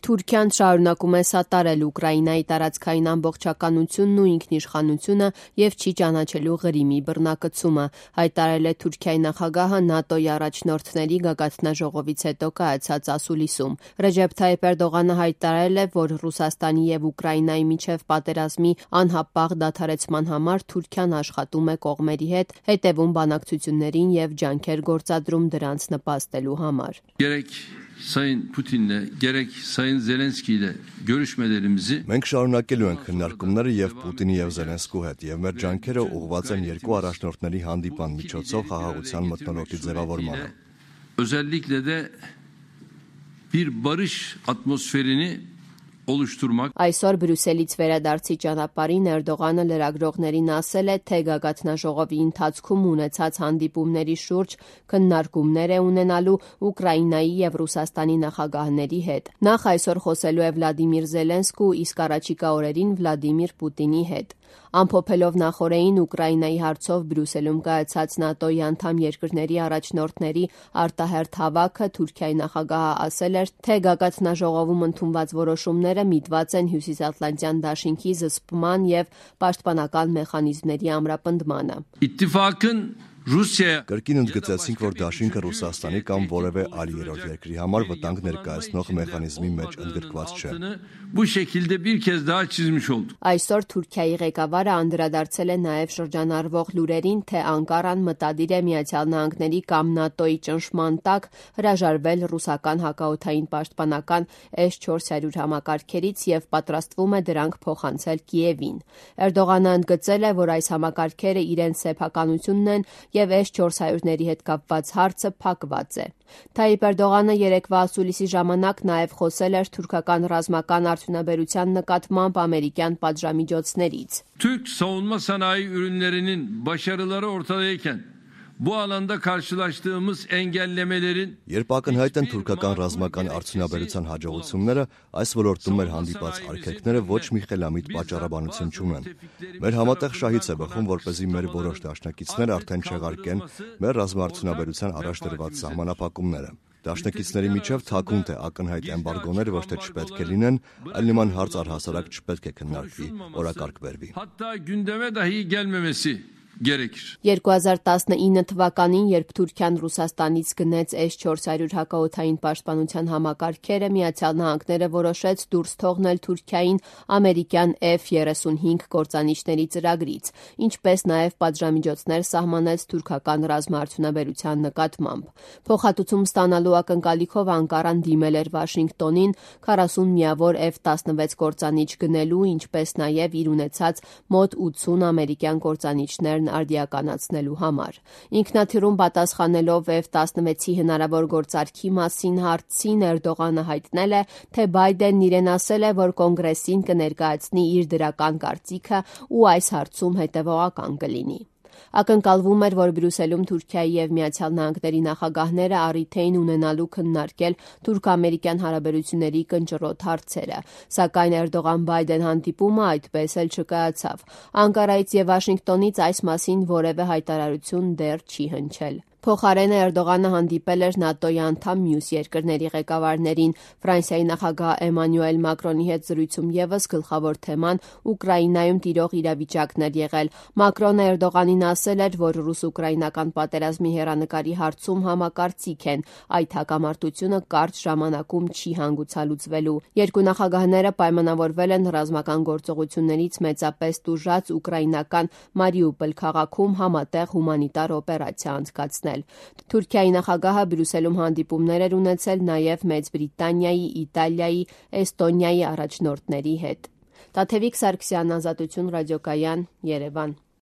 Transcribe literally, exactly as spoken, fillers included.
Թուրքիան շարունակում է սատարել Ուկրաինայի տարածքային ամբողջականությունն ու ինքնիշխանությունը և չի ճանաչելու Ղրիմի բռնակցումը, հայտարարել է Թուրքիայի նախագահը ՆԱՏՕ-ի առաջնորդների գագաթնաժողովից հետո կայացած ասուլիսում։ Ռեջեփ Թայիփ Էրդողանը հայտարարել է, որ Ռուսաստանի և Ուկրաինայի միջև պատերազմի անհապաղ դադարեցման համար Թուրքիան աշխատում է կողմերի հետ, հետևում բանակցություններին և ջանքեր գործադրում դրանց նպաստելու համար։ Sayın Putin'le gerek Sayın Zelenski'yle görüşmelerimizi Մենք շարունակելու ենք քննարկումները եւ Պուտինի եւ Զելենսկու հետ եւ մեր ջանքերը ուղղված են երկու առաջնորդների հանդիպան միջոցով խաղաղության մթնոլորտի ձևավորմանը։ Özellikle de bir barış atmosferini oluşturmak. Այսօր Բրյուսելից վերադարձի ճանապարհին Էրդողանը լրագրողներին ասել է, թե գագաթնաժողովի ընթացքում ունեցած հանդիպումների շուրջ քննարկումներ է ունենալու Ուկրաինայի եւ Ռուսաստանի նախագահների հետ։ Նախ այսօր խոսելու է Վլադիմիր Զելենսկու, իսկ առաջիկա օրերին Վլադիմիր Պուտինի հետ։ Ամփոփելով նախօրեին Ուկրաինայի հարցով Բրյուսելում կայացած ՆԱՏՕ-ի անդամ երկրների առաջնորդների արտահերթ հավաքը Թուրքիայի նախագահը ասել էր, թե գագաթնաժողովում ընդունված որոշումները միտված են Հյուսիսատլանտյան դաշինքի զսպման եւ պաշտպանական մեխանիզմների ամրապնդմանը։ İttifakın Rusya Կրկին ընդգծեցինք, որ դաշինքը Ռուսաստանի կամ որևէ այլ երրորդ երկրի համար վտանգ ներկայացնող մեխանիզմի մեջ ընդգրկված չէ։ Bu şekilde bir kez daha çizmiş olduk. Այսօր Թուրքիայի ղեկավարը անդրադարձել է նաև շրջանառվող լուրերին, թե Անկարան մտադիր է Միացյալ Նահանգների կամ ՆԱՏՕ-ի ճնշման տակ հրաժարվել ռուսական հակաօդային պաշտպանական S four hundred համակարգերից եւ պատրաստվում է դրանք փոխանցել Կիևին։ Էրդողանը ընդգծել է, որ այս համակարգերը իրենց սեփականությունն են եւ S four hundred-ների հետ կապված հարցը փակված է։ Թայիփ Էրդողանը երեկվա ասուլիսի ժամանակ նաև խոսել էր թուրքական ռազմական արդյունաբերության նկատմամբ ամերիկյան պատժամիջոցներից։ Türk savunma sanayi ürünlerinin başarıları ortadayken bu alanda karşılaştığımız engellemelerin Երբ ակնհայտ են թուրքական ռազմական արդյունաբերության հաջողությունները, այս ոլորտում մեր հանդիպած արգելքները ոչ մի խելամիտ պատճառաբանություն չունեն։ Մեր համատեղ շահից է բխում, որպեսզի մեր որոշ դաշնակիցներ արդեն չեղարկեն մեր ռազմաարդյունաբերության առաջ դրված սահմանափակումները։ Դաշնակիցների միջև թաքուն թե ակնհայտ էմբարգոներ ոչ թե չպետք է լինեն, այլ նման հարց առհասարակ չպետք է քննարկվի, օրակարգ բերվի։ Hatta gündeme dahi gelmemesi gerekir. երկու հազար տասնինը թվականին, երբ Թուրքիան Ռուսաստանից գնեց S four hundred հակաօդային պաշտպանության համակարգերը, Միացյալ Նահանգները որոշեց դուրս թողնել Թուրքիային ամերիկյան F thirty-five կործանիչների ծրագրից, ինչպես նաև պատժամիջոցներ սահմանեց թուրքական ռազմաարդյունաբերության նկատմամբ։ Փոխհատուցում ստանալու ակնկալիքով Անկարան դիմել էր Վաշինգտոնին forty միավոր F sixteen կործանիչ գնելու, ինչպես նաև իր ունեցած մոտ ութսուն ամերիկյան կործանիչներն արդիականացնելու համար։ Ինքնաթիռում պատասխանելով F sixteen-ի հնարավոր գործարքի մասին հարցին Էրդողանը հայտնել է, թե Բայդենն իրեն ասել է, որ կոնգրեսին կներկայացնի իր դրական կարծիքը ու այս հարցում հետևողական կլինի։ Ակնկալվում էր, որ Բրյուսելում Թուրքիայի եւ Միացյալ Նահանգների նախագահները առիթ էին ունենալու քննարկել թուրք-ամերիկյան հարաբերությունների կնճռոտ հարցերը, սակայն Էրդողան-Բայդեն հանդիպումը այդպես էլ չկայացավ։ Անկարայից եւ Վաշինգտոնից այս մասին որևէ հայտարարություն դեռ չի հնչել։ Փոխարենը Էրդողանը հանդիպել էր ՆԱՏՕ-ի անդամ մյուս երկրների ղեկավարներին։ Ֆրանսիայի նախագահ Էմանուել Մակրոնի հետ զրույցում եւս գլխավոր թեման Ուկրաինայում տիրող իրավիճակն էր եղել։ Մակրոնը Էրդողանին ասել էր, որ ռուս-ուկրաինական պատերազմի հեռանկարի հարցում համակարծիք են, այդ հակամարտությունը կարճ ժամանակում չի հանգուցալուծվելու։ Երկու նախագահները պայմանավորվել են ռազմական գործողություններից մեծապես տուժած ուկրաինական Մարիուպոլ քաղաքում համատեղ հումանիտար օպերացիա անցկացնել։ Թուրքիայի նախագահը Բրյուսելում հանդիպումներ էր ունեցել նաև Մեծ Բրիտանիայի, Իտալիայի, Էստոնիայի առաջնորդների հետ։ Տաթևիկ Սարգսյան, Ազատություն ռադիոկայան, Երևան։